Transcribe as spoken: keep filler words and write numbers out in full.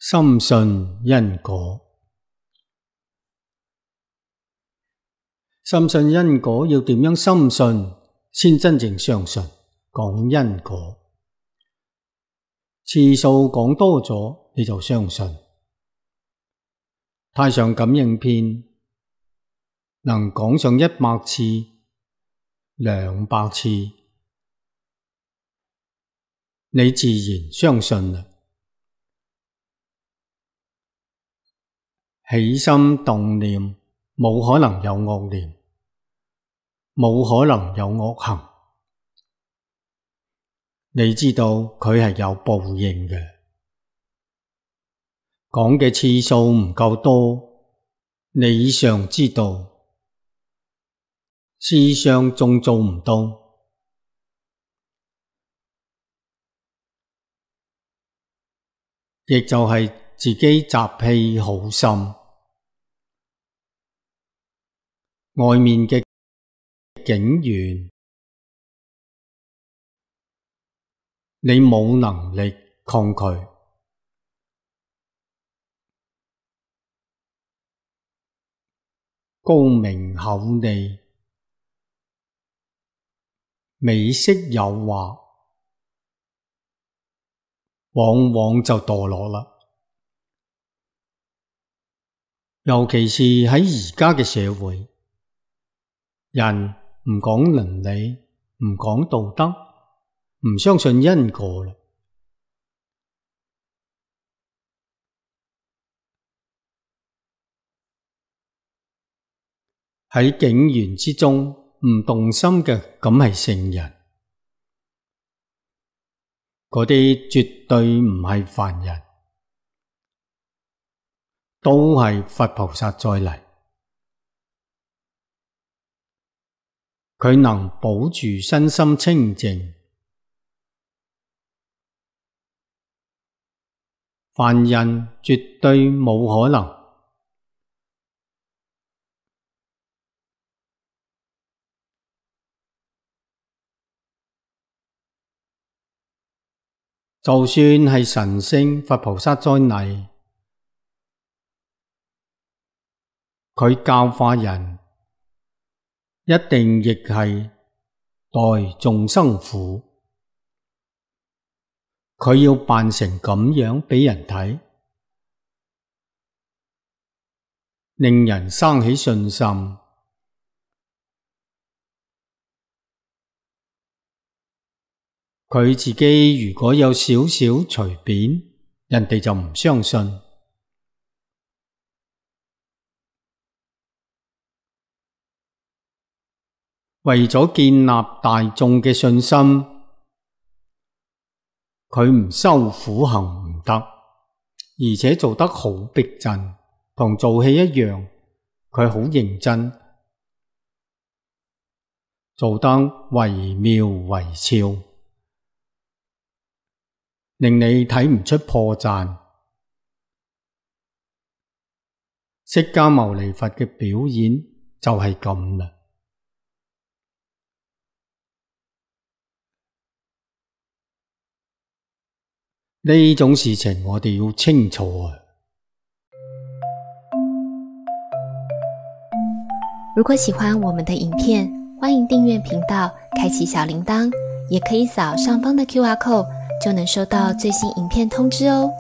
深信因果。深信因果要點樣深信先真正相信？講因果，次數講多咗你就相信。太上感應篇能講上一百次、兩百次，你自然相信啦。起心動念，冇可能有惡念，冇可能有惡行。你知道佢係有報應嘅，講嘅次數唔夠多，理上知道，事上仲做唔到。亦就係自己習氣好深，外面嘅境緣你冇能力抗拒，高明厚利，美色誘惑，往往就墮落啦。尤其是喺而家嘅社會，人唔講倫理，唔講道德，唔相信因果啦。喺境緣之中唔動心嘅，咁係聖人。嗰啲絕對唔係凡人，都係佛菩薩再嚟。佢能保住身心清淨，凡人絕對冇可能。就算係神聖佛菩薩再嚟，佢教化人，一定亦係代眾生苦。佢要扮成咁樣畀人睇，令人生起信心。佢自己如果有少少隨便，人哋就唔相信。為咗建立大眾嘅信心，佢唔修苦行唔得，而且做得好逼真，同做戲一樣，佢好認真，做得惟妙惟肖，令你睇唔出破綻。釋迦牟尼佛嘅表演就係咁啦。呢種事情我哋要清楚啊！如果喜歡我們的影片，歡迎訂閱頻道，開啟小鈴鐺，也可以掃上方的 Q R code，就能收到最新影片通知哦。